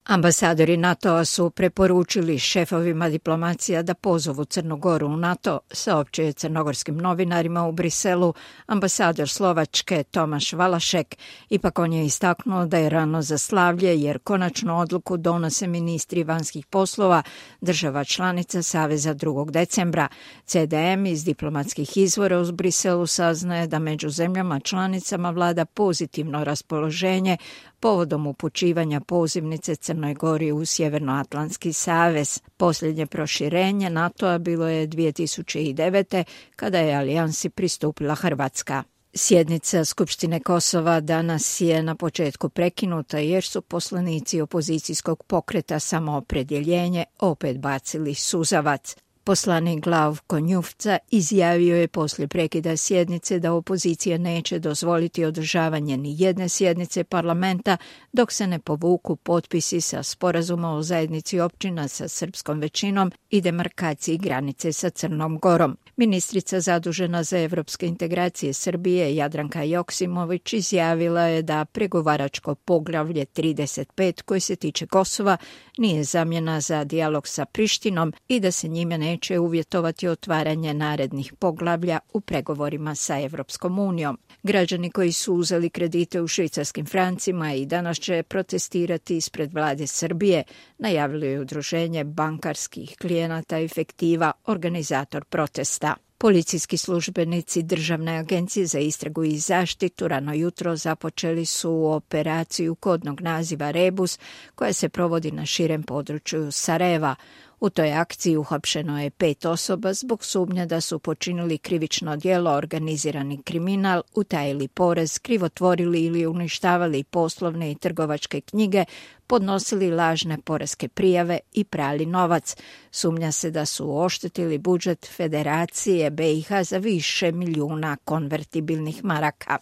Ambasadori NATO-a su preporučili šefovima diplomacija da pozovu Crnu Goru u NATO, saopćio je crnogorskim novinarima u Briselu ambasador Slovačke Tomaš Valašek. Ipak on je istaknuo da je rano za slavlje jer konačnu odluku donose ministri vanjskih poslova država članica Saveza 2. decembra. CDM iz diplomatskih izvora u Briselu saznaje da među zemljama članicama vlada pozitivno raspoloženje povodom upućivanja pozivnice Crnoj Gori u Sjevernoatlantski savez. Posljednje proširenje NATO-a bilo je 2009. kada je alijansi pristupila Hrvatska. Sjednica Skupštine Kosova danas je na početku prekinuta jer su poslanici opozicijskog pokreta Samoopredjeljenje opet bacili suzavac. Poslanik Glavko Njufca izjavio je poslije prekida sjednice da opozicija neće dozvoliti održavanje ni jedne sjednice parlamenta dok se ne povuku potpisi sa sporazuma o zajednici općina sa srpskom većinom i demarkaciji granice sa Crnom Gorom. Ministrica zadužena za evropske integracije Srbije Jadranka Joksimović izjavila je da pregovaračko poglavlje 35 koje se tiče Kosova nije zamjena za dijalog sa Prištinom i da se njime neće uvjetovati otvaranje narednih poglavlja u pregovorima sa Evropskom unijom. Građani koji su uzeli kredite u švicarskim francima i danas će protestirati ispred vlade Srbije, najavilo je udruženje bankarskih klijenata Efektiva, organizator protesta. Policijski službenici Državne agencije za istragu i zaštitu rano jutro započeli su operaciju kodnog naziva Rebus koja se provodi na širem području Sarajeva. U toj akciji uhapšeno je 5 osoba zbog sumnje da su počinili krivično djelo, organizirani kriminal, utajili porez, krivotvorili ili uništavali poslovne i trgovačke knjige, podnosili lažne poreske prijave i prali novac. Sumnja se da su oštetili budžet Federacije BiH za više milijuna konvertibilnih maraka.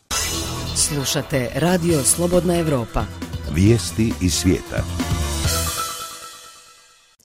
Slušate Radio Slobodna Evropa. Vijesti iz svijeta.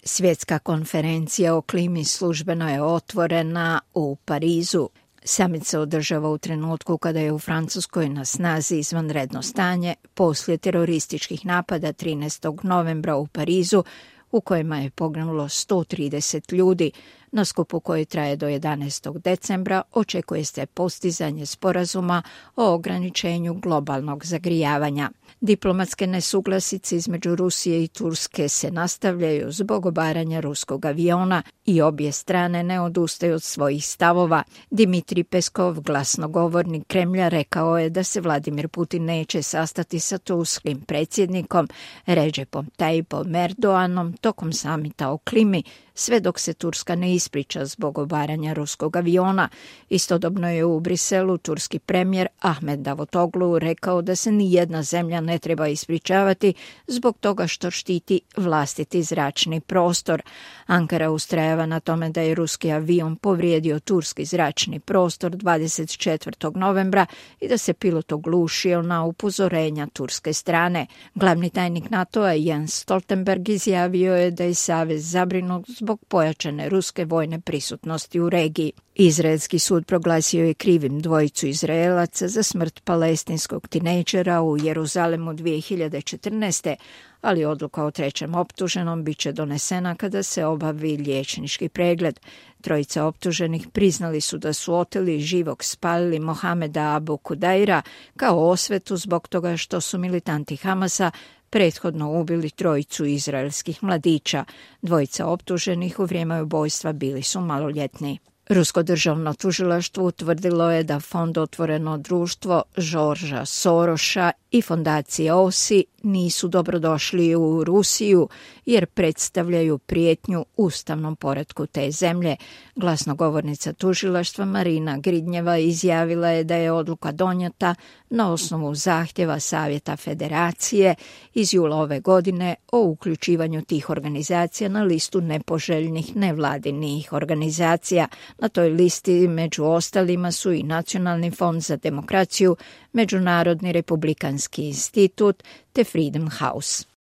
Svjetska konferencija o klimi službeno je otvorena u Parizu. Samit se održava u trenutku kada je u Francuskoj na snazi izvanredno stanje poslije terorističkih napada 13. novembra u Parizu u kojima je poginulo 130 ljudi. Na skupu koji traje do 11. decembra očekuje se postizanje sporazuma o ograničenju globalnog zagrijavanja. Diplomatske nesuglasice između Rusije i Turske se nastavljaju zbog obaranja ruskog aviona i obje strane ne odustaju od svojih stavova. Dimitrij Peskov, glasnogovornik Kremlja, rekao je da se Vladimir Putin neće sastati sa turskim predsjednikom Recepom Tayyipom Erdoganom tokom samita o klimi, sve dok se Turska ne ispriča zbog obaranja ruskog aviona. Istodobno je u Briselu turski premijer Ahmed Davutoglu rekao da se ni jedna zemlja ne treba ispričavati zbog toga što štiti vlastiti zračni prostor. Ankara ustrajava na tome da je ruski avion povrijedio turski zračni prostor 24. novembra i da se pilot oglušio na upozorenja turske strane. Glavni tajnik NATO-a Jens Stoltenberg izjavio je da je savez zabrinut zbog pojačane ruske vojne prisutnosti u regiji. Izraelski sud proglasio je krivim dvojicu Izraelaca za smrt palestinskog tinejdžera u Jeruzalemu 2014. ali odluka o trećem optuženom bit će donesena kada se obavi liječnički pregled. Trojica optuženih priznali su da su oteli i živog spalili Mohameda Abu Kudaira kao osvetu zbog toga što su militanti Hamasa prethodno ubili trojicu izraelskih mladića. Dvojica optuženih u vrijeme ubojstva bili su maloljetni. Rusko državno tužilaštvo utvrdilo je da fond Otvoreno društvo Žorža Soroša i fondacija OSI nisu dobrodošli u Rusiju jer predstavljaju prijetnju ustavnom poretku te zemlje. Glasnogovornica tužilaštva Marina Gridnjeva izjavila je da je odluka donijeta na osnovu zahtjeva Savjeta Federacije iz jula ove godine o uključivanju tih organizacija na listu nepoželjnih nevladinih organizacija. Na toj listi među ostalima su i Nacionalni fond za demokraciju, Međunarodni republikanski institut te Freedom House.